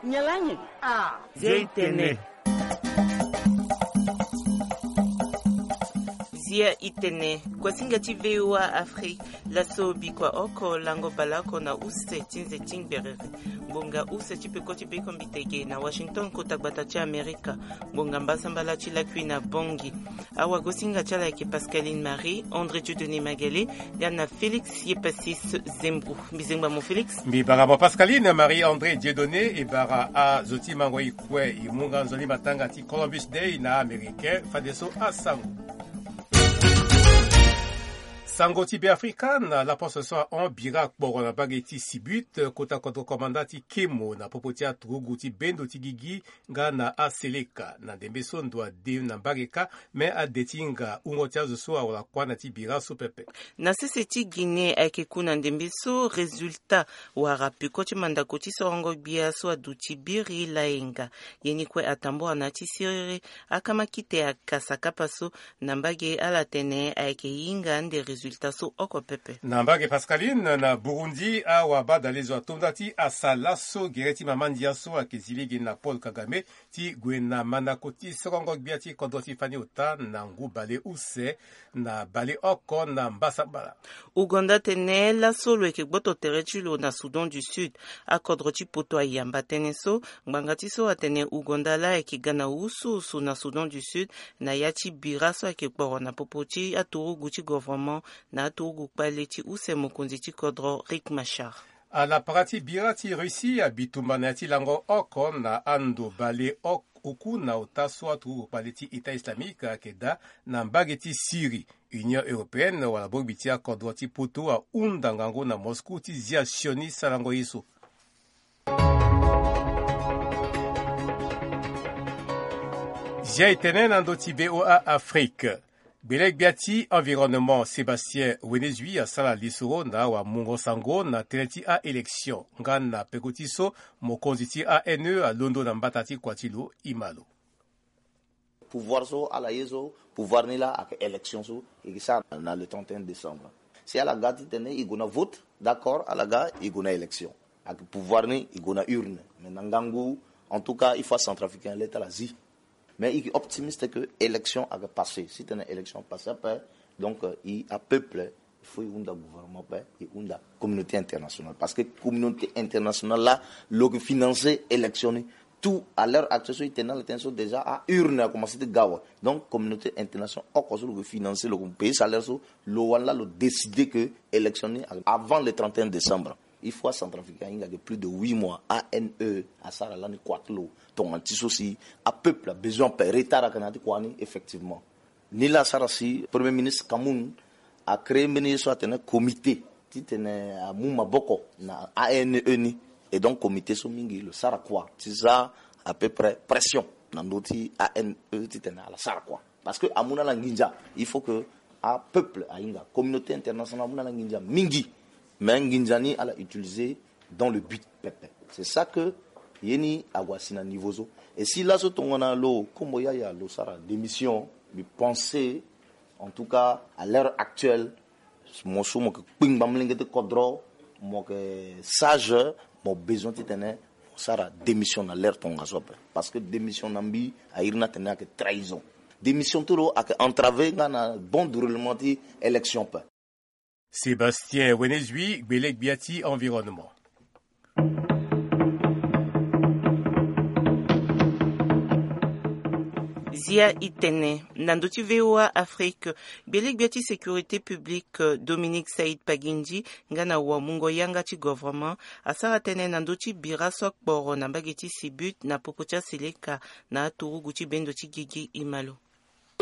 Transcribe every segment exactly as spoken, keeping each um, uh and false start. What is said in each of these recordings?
Nyen laa nyen? Ah. Zia i tene. Zia i tene. Kuasinga ti VOA Afrique. Laso bikua oko lango baleoko na use ti nze ti ngberere. Ngbonga use ti peko ti beko mbitege na Washington, kota gbata ti Amerika. Ngbonga mbasambala ti lakui na Bangui. Awagosinga ti ala ayeke Pascaline Marie André Dieudonné Magale, ya na Félix Yepasis Zembro. Mbi zengba mo Félix. Mbi bara mo Pascaline Marie André Dieudonné. E bara azo ti mango e kue. E mu nga nzoni matanga ti Columbus Day na Américain. Fadeso asango. Sango ti Beafrika na laposte so ahon bira kporo na mbage ti Sibut, kota kodro komanda ti Kemo na popo ti aturugu ti bendo ti gigi nga na aseleka. Na ndembe so ndo ade na mbage kâ, me ade ti hinga hungo ti azo so awara kuâ na ti bira so pepe. Na sese ti Guinée ayeke ku na ndembe so résultat wala peko ti mandako ti sorongo gbia so aduti biri layenga. Ye ni kue atambua na ya ti siriri akama kite akasa kapa so na mbage ala tene ayeke hinga ande résultat so oko pepe. Na mbage Pascaline na Burundi, awabadalezo atonda ti asa laso gere ti mama ndia so ayeke zi lege na Paul Kagame ti gue na mandako ti sorongo gbia ti kodro ti fani ota na ngu bale use na baleoko na mbasambala. Ouganda atene laso lo yeke gboto tere ti lo na Soudan du Sud. Akodro ti poto ayamba tënë so. Ngbanga ti so atene Ouganda laa ayeke ga na usuusu na Soudan du Sud na ya ti bira so ayeke kporo na popo ti aturugu ti governement na aturugu kpale ti use mokonzi ti kodro Riek Machar. Ala para ti bira ti Russie abi tumba na ya ti lango oko na ando bale oko oku na ota so aturugu kpale ti État islamique ayeke daa na mbage ti Syrie. Union européenne wala bongbi ti akodro ti poto ahunda ngangu na Moscou ti zia sioni sarango ye so. Zia e tene na ndö ti VOA Afrique. Gbele-gbia ti environnement Sébastien Wenezui asara lisoro na awamungo sango na tënë ti a-élection nga na peko ti so mokonzi ti A N E alondo na mbata ti kua ti lo. Ima lo. Pouvoir so ala ye so, pouvoir ni laa ayeke élection so e ke sara na le trente et un décembre. Si ala ga titene e gue na vote, d'accord, ala ga e gue na élection. Ayeke pouvoir ni e gue na urne. Mais na ngangu, en tout cas, il faut acentrafricain le ti ala zi. Mais e ke optimiste que élection ayeke passé. Si titene élection passé ape, donc, euh, e apeuple, il faut e hunda gouvernement ape, e hunda communauté internationale. Parce que communauté internationale laa lo ke financer élection ni. Tout à l'heure actuelle so e tene na ala tënë so déjà a-urne akomanse ti ga awe. Donc communauté internationale oko so lo ke financer, lo ke payer salaire so, lo wani laa lo décider que élection ni avant le trente et un décembre. Il faut acentrafricain ahinga ayeke plus de huit mois. A N E asara lani kua ti lo. Tongana ti so si apeuple abesoin ape, retard ayeke na ya ti kua ni effectivement. Ni laa asara si Premier ministre Kamoun acréer mbeni ye so atene comité titene amu maboko na A N E ni. Et donc comité so mingi lo sara kua ti za à peu près pression na ndö ti A N E titene ala sara kua. Parce que amu na ala nginza. Il faut que apeuple ahinga, communauté internationale amu na ala nginza mingi. Mais nginza ni ala utiliser dans le but pepe. C'est ça que ye ni ague asi na niveau so. Et si laso tongana lo kombo yaya lo sara démission, mbi pense, en tout cas à l'heure actuelle, mo so mo yeke kpingba molenge ti kodro, mo yeke sage, mo besoin titene mo sara démission na l'heure tongaso ape. Parce que démission na mbi airi ni atene ayeke trahison. Démission ti lo ayeke entraver nga na bon déroulement ti élection ape. Sébastien Wenezui, gbele-gbia ti environnement. Zia i tene na ndö ti VOA Afrique, gbele-gbia ti sécurité publique, euh, Dominique Saïd Pagindji, nga na wamungo yanga ti gouvernement, asara tënë na ndö ti bira so akporo na mbage ti Sibut na popo ti aseleka na aturugu ti bendo ti gigi. Ima lo.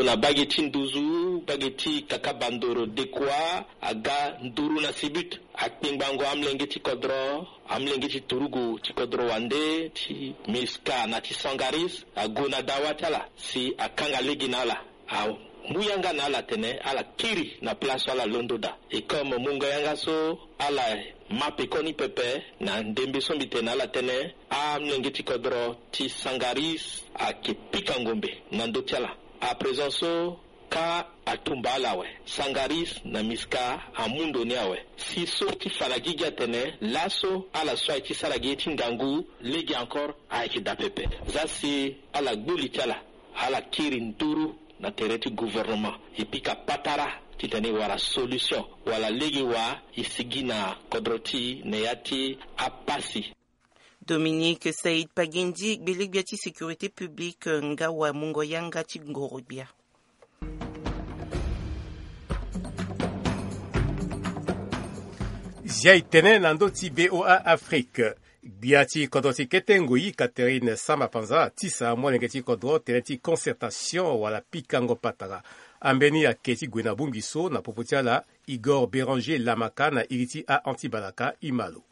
Na mbage ti nduzu, mbage ti Kakabandoro Dekua, aga nduru na Sibut. Akpingbango amlenge ti kodro, amlenge ti turugu ti kodro wande, ti Miska na ti Sangaris, ague na dawa ti ala si akanga lege na ala. Amu yanga na ala atene ala kiri na place so ala londo daa. Et comme mungo yanga so, ala ma pekoni pepe na ndembe so mbi tene na ala tënë, amlenge ti kodro ti Sangaris ayeke pika ngombe na ndö ti ala. À présent so, Ka atumba ala awe, Sangaris na Miska amu ndo ni awe. Si so ti fa na gigi atene laso ala so ayeke ti sara gi ye ti ngangu lege encore ayeke daa pepe. Za si ala gbu li ti ala, ala kiri nduru na tere ti gouvernement e pika patara titene e wara solution wala lege wa e sigi na kodro ti e na ya ti apasi. Dominique Said Pagendi, gbele-gbia ti sécurité publique, nga wamungo yanga ti ngoro-gbia. Zia e tene na ndö ti V O A Afrique. Gbia ti kodro ti kete ngoi Catherine Samba Panza atisa amolenge ti kodro tënë ti concertation wala pikango patara. Ambeni ayeke ti gue na bongbi so na popo ti ala Igor Béranger Lamaka na iri ti a Anti Balaka. E ma lo.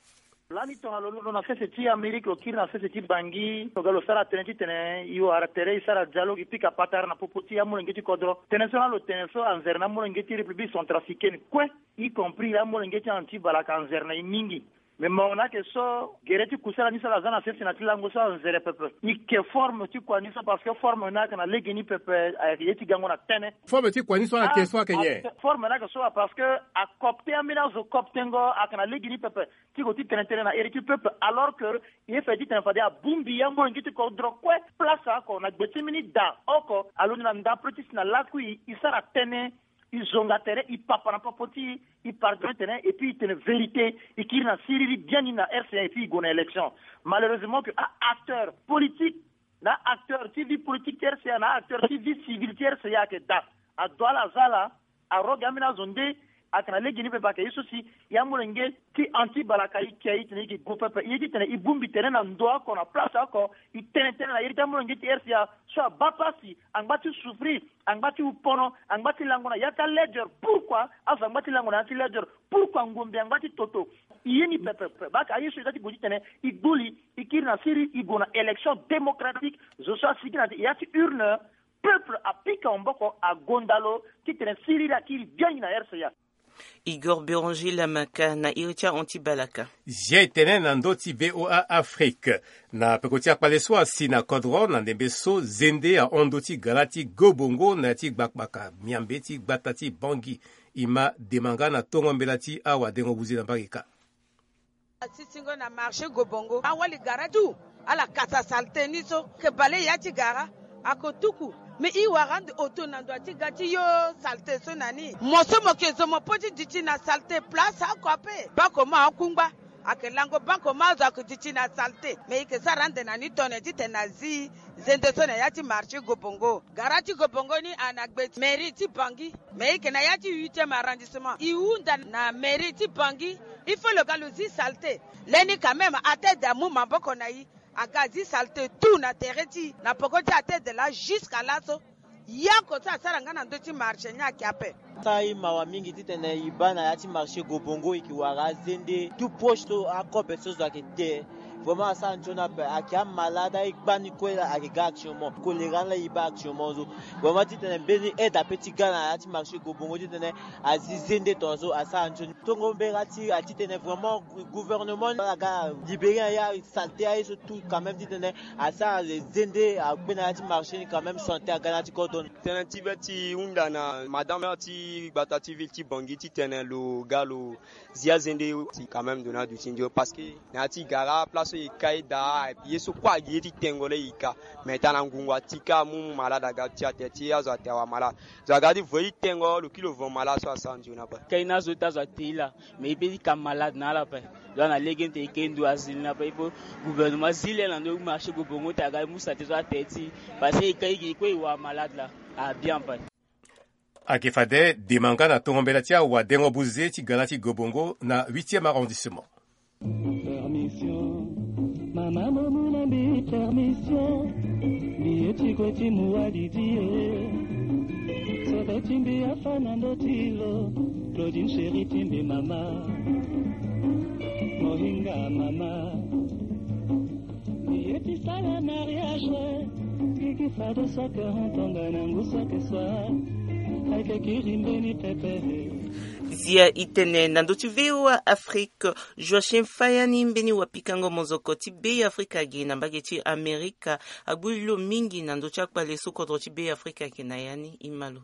Lani tongana lo londo na sese ti Amérique lo kiri na sese ti Bangui lo ga lo sara tënë titene e wara tere e sara dialogue e pika patara na popo ti amolenge ti kodro. Tënë so na lo tene so anzere na amolenge ti République centrafricaine kue, y compris amolenge ti Anti Balaka anzere na e mingi. Mais mo na ayeke so gere ti kusala ni so ala za na sese na ti lango so anzere pepe. E yeke forme ti kua ni so parce que forme ni ayeke na lege ni pepe, ayeke ye ti gango na tënë. Forme ti kua ni so ala yeke so ayeke nyen? Forme ni ayeke so parce que acopte ambeni azo coptengo ayeke na lege ni pepe ti ko ti tene tënë na iri ti peuple alors que e ye fade titene fade abongbi amolenge ti kodro kue place oko na gbe ti mbeni da oko alondo na ndapre ti si na lakui e sara tënë. E zonga tere e papa na popo ti e pardonne tene et puis e tene vérité. E kiri na siriri biani na R C A et puis e gue na élection. Malheureusement que a-acteur politique na acteur ti vie politique ti R C A na acteur ti vie civile ti R C A ayeke daa. Ado ala aza ala aroge ambeni azo nde ayeke na lege ni pepe ayeke ye so si e amolenge ti Anti Balaka e ke e tene e yeke gue pepe e ye titene e bongbi tere na ndo oko na place oko. E tene tënë na iri ti amolenge ti R C A so abaa pasi angba ti souffrir angba ti hu pono angba ti lango na ya ti aleder. Pourquoi azo angba ti lango na ya ti leder? Pourquoi ngombe angba ti toto? E ye ni pepe pepe baka aye so e za ti gue titene e gbu li e kiri na siriri e gue na élection démocratique. Zo so asigi na ya ti urne peuple apika maboko agonda lo titene siriri akiri biani na R C A. Igor Béranger Lamaka na iri ti a Anti Balaka. Zia e tene na ndö ti V O A Afrique. Na peko ti akpale so asi na kodro na ndembe so zende ahon ndö ti gara ti gobongo na ya ti gbakpaka miambe ti gbata ti Bangui. E ma demanga na tongo mbela ti awadengo buze na mbage kâ. Asisingo na marché Gobongo awali gara tout. Ala kasa saleté ni so ke bale ya ti gara ako tuku. Mais e wara ande oto na ndo ti ga ti yo saleté so na ni mo so mo ke zo mo po ti duti na saleté place oko ape. Bako mo akungba ake lango bako mo azo ake duti na saleté. Mais e ke sara ande na ni tone titene na zi zende so na ya ti marché Gobongo. Gara ti Gobongo ni ana gbe ti mairie ti Bangui. Mais e ke na ya ti huitième arrondissement e hunda na mairie ti Bangui. Il faut lo ga lo zi saleté. Leni quand même atede amu maboko na e aga azi saleté tout na tere ti e na poko ti atede laa jusqu'à laso. Yako so asara nga na ndö ti marché ni ake ape. Asara e mawa mingi titene e baa na ya ti marché Gobongo e ke wara azende tout proche so akobe so zo ake te. Vraiment asara nzoni ape ake amalade aye gbani kue ake ga actuellement. Kolera ni la e baa actuellement so. Vraiment titene mbeni aide ape ti ga na ya ti marché Gobongo titene azi zende tongaso asara nzoni. Tongo mbela ti atitene vraiment gouvernement ni ala ga libérer na ya saleté aye so tout quand même titene asara zende akpe na ya ti marché ni quand même santé aga na ya ti kodro ni. Tënë ti be ti hunda na madame maire ti gbata ti ville ti Bangui titene lo ga lo zi azende ti quand même ndo na duti ndio parce que na ya ti gara place so e ka e daa ye so kue agi ye ti tengo laa e ka. Mais tana ngungu ati ka amu malade aga ti atere ti azo ate awa malade. Zo aga ti vo ye ti tengo lo kiri lo vo malade so asara ndio na pe. Kai na azo ti azo ate e laa. Mais e pe ti ka malade na ala ape. Donc na lege ti e ke ndo azi ni na ape il faut gouvernement zi le na ndo marché Gobongo ti aga e mu saleté so atere ti e. Parce que e ka e gi kue e wara malade laa. A bien ape. Ake fade demanga na tongo mbela ti awadengo buze ti gara ti Gobongo na huitième arrondissement. Permission. Mama mo mu na mbi permission. Mbi ye ti gue ti mu wa didi e. Sebe ti mbi afa na ndö ti lo. Claudine chérie ti mbi mama. Mohinga mama. Mbi ye ti sara mariage. Gigi fade so ake hon tonga na ngu so ake so. Ayeke kiri mbeni pepe. Zia e tene na ndö ti V O A Afrique. Joachim Fayani mbeni wapikango mozoko ti Be Afrika ge na mbage ti Amerika agbu li lo mingi na ndö ti akpale so kodro ti Be Afrika ge na ya ni. E ma lo.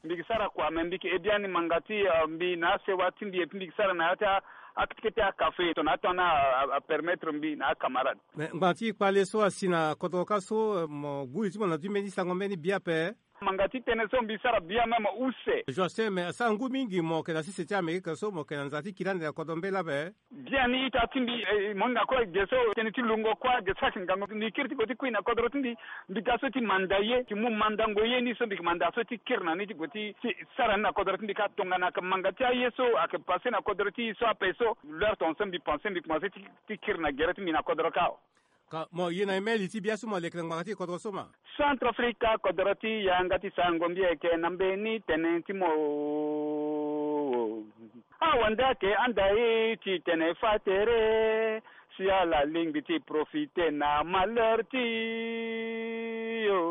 Mbi ke sara kua me mbi ke he biani manga ti mbi na asewa ti mbi et puis mbi ke sara na ya ti akete kete akafe tongana ato ni apermettre mbi na acamarade. Mais ngbanga ti kpale so asi na kodro ka so mo guli ti mo na du mbeni sango mbeni bia pe. Manga ti tene so mbi sara bia même use. Joachim, mais asara ngu mingi mo yeke na sese ti amerika so mo yeke na nza ti kiri ande na kodro mbela pe. Biani ita ti mbi. Mo hinga kue ge so tënë ti lungo kue ge so ayeke ngangu mbi kiri ti gue ti kui na kodro ti mbi. Mbi ga so ti manda ye ti mu mandango ye ni so mbi yeke manda so ti kiri na ni ti gue ti sara ni na kodro ti mbi ka tongana ayeke manga ti aye so ayeke passe na kodro ti e so ape so. L'heure tonga so mbi pense mbi komanse ti kiri na gere ti mbi na kodro ka. Ka mo ye na email ti bia so mo leke na ngbanga ti kodro so ma. Centrafrica kodro ti yanga ti sango mbi yeke na mbeni tënë ti mo. Awande ayeke anda e ti tene fa tere si ala lingbi ti profite na malheur ti yo.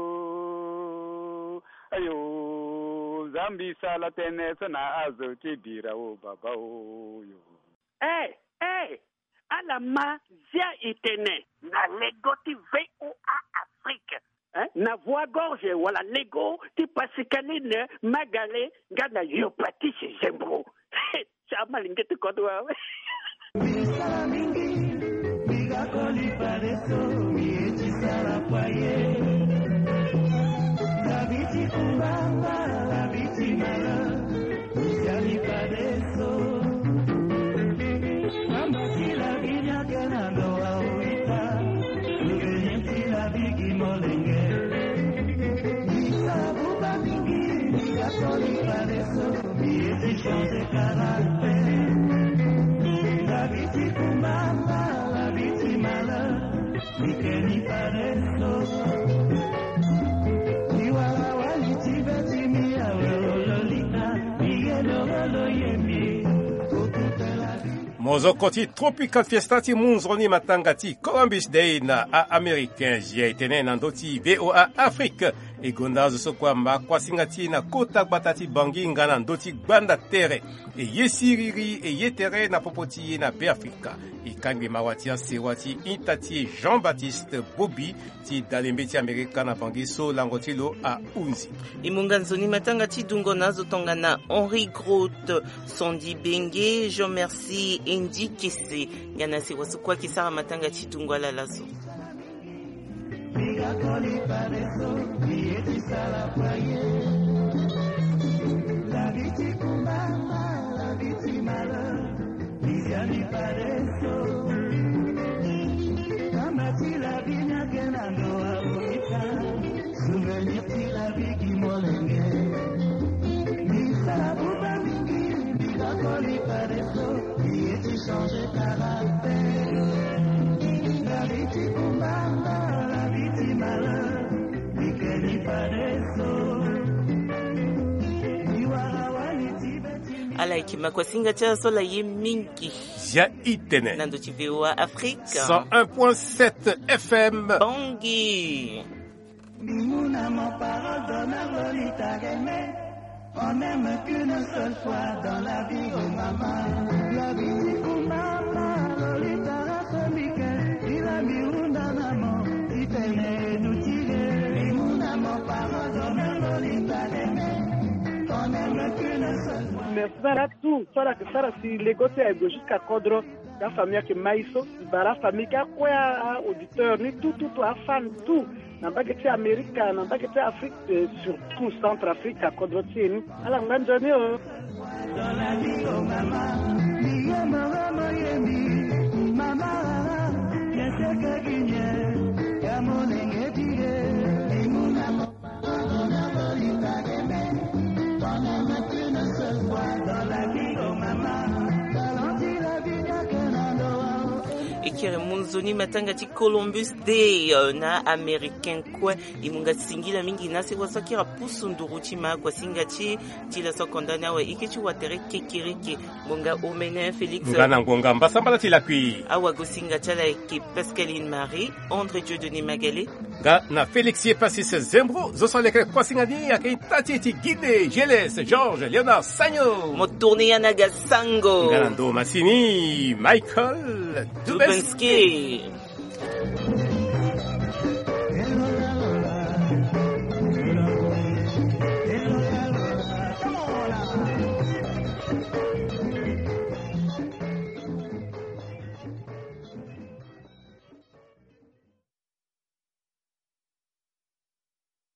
Ayo, zambi sala tene so na azo ti bira o baba o yo. Eh, eh, ala ma zia itene na lego ti VOA Afrique. Eh, na voie gorge wala lego ti Pascaline Magale nga na Yopatis Zembro. Ti amalenge ti kodro awe. Mbi sara mingi, mbi ga koli padeso, mbi ye ti sara kua ye. Labi ti kumbanga, labi ti mala, mbi siani padeso. Mamba ti labi ni ake na ndo wa wita, souvenir ti labi gi molenge. Mbi sara buba mingi, mbi ga koli padeso. Mbi ye ti changer caractère. Labi ti kumbanga, labi ti malheur. Mbi ke ni padeso. Mbi wara wali ti be ti mbi awe ololita. Mbi ye lorolo ye mbi. Pour toute la vie. Mo zo koti Tropical Fiesta ti mu nzoni matanga ti Columbus Day na a-américain. Zia etene na ndö ti VOA Afrique. E gonda azo so kue amba kuasinga ti e na kota gbata ti Bangui nga na ndö ti gbanda tere. E ye siriri e ye tere na popo ti e na Beafrika. E kangbi mawa ti asewa ti ita ti e Jean-Baptiste Bobi ti dalembe ti Amerika na Bangui so lango ti lo ahunzi. E mu nga nzoni matanga ti dungo na azo tongana Henri Groot, Sandy Benge, Jean Merci Endi Kese. Nga na sewa so kue ayeke sara matanga ti dungo ala laso. Mbi ga koli padeso, mbi ye ti sara kua ye. Labi ti kumbanga, labi ti malheur, mbi siani padeso. Kamba ti labi ni ake na ndo wa wita, souvenir ti labi gi molenge. Mbi sara buba mingi, mbi ga koli padeso. Mbi ye ti changer caractère. Labi ti kumbanga, labi ti malheur. Mbi ke ni padeso. Mbi wara wali ti be ti mbi. Ala yeke ma kuasinga ti ala so ala ye mingi. Zia itene. Na ndo ti VOA Afrique. Cent un point sept F M. Bangui. Mbi mu na mon parole d'honneur, Lolita Reme. On n'aime qu'une seule fois dans la vie, oh maman. Labi ti kumbanga, Lolita Reme mbi ke. Ila mbi hunda na mo ti tene e duti le. Mbi mu na mon parole d'honneur, Lolita Reme. On n'aime qu'une seule fois. Merci. Sara tout so ala yeke sara si lego ti aye gue jusqu'à kodro. Afamille ayeke ma e so. Mbi bara afamille ti akue, a-auditeur ni tout tout tout, afan tout. Na mbage ti Amerika, na mbage ti Afrique, eh, surtout Centrafrique, akodro ti e ni. Ala ngba nzoni o. E kiri mu nzoni matanga ti Columbus Day, euh, na Américain kue. E mu nga singila mingi na sewa so akiri apusu nduru ti ma kuasinga ti e ti laso akonda ni awe. E ke ti watere kekereke. Ngonga omene Félix. Nga na ngonga mbasambala ti lakui. Awagosinga ti ala ayeke Pascaline Marie, André Dieudonné Magale. Nga na Félix Yepasis Zembro, zo so aleke kuasinga ni ayeke ita ti e ti Guinée, G L S, Georges Léonard Sagno. Mo tourne ya na ga sango. Nga na ndo masini, Michael Dubenski. Dubenski.